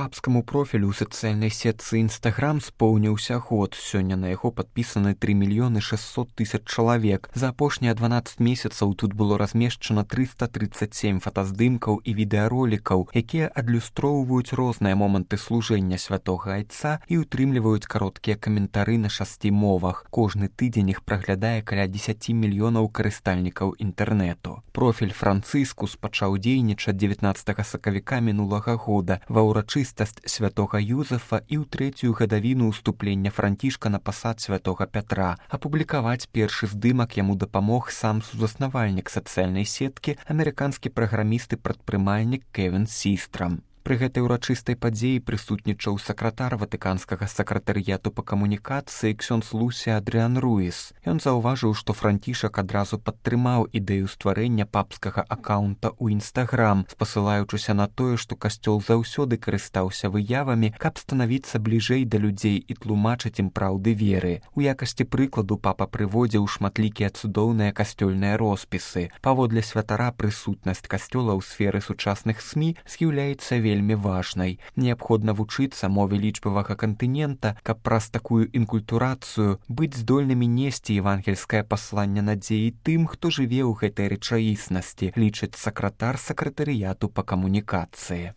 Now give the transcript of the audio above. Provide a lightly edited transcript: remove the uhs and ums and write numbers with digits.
Папскаму профілю ў сацыяльнай сетцы Instagram споўніўся год. Сёння на яго падпісаны 3 600 000 чалавек. За апошнія 12 месяцаў тут было размешчана 337 фотаздымкаў і відэаролікаў, якія адлюстроўваюць розныя моманты служэння святога айца і ўтрымліваюць кароткія каментары на 6 мовах. Кожны тыдзень іх праглядае каля 10 мільёнаў карыстальнікаў інтэрнэту. Профіль Францыскус пачаў дзейнічаць 19 сакавіка мінулага года ва ўрачыстасць святога Юзефа і ў трэцюю гадавіну ўступлення Францішка на пасад святога Пятра. Апублікаваць першы здымак яму дапамог сам сузаснавальнік сацыяльнай сеткі, амерыканскі праграміст і прадпрымальнік Кевін Систрам. Пры гэтай урачыстай падзеі прысутнічаў сакратар ватыканскага сакратарыяту па камунікацыі ксёндз Лусі Адрыан Руіс. Ён заўважыў, што Францішак адразу падтрымаў ідэю стварэння папскага акаунта ў Instagram, спасылаючыся на тое, што касцёл заўсёды карыстаўся выявамі, каб станавіцца бліжэй да людзей і тлумачыць ім праўды веры. У якасці прыкладу папа прыводзіў шматлікія цудоўныя касцёльныя роспісы. Паводле святара прысутнасць касцёла ў сферы сучасных СМІ з'яўляецца вельмі важнай. Неабходна вучыцца мове лічбавага кантынента, каб праз такую інкультурацыю быць здольнымі несці евангельскае пасланне надзеі тым, хто жыве ў гэтай рэчаіснасці, лічыць сакратар сакратарыяту па камунікацыі.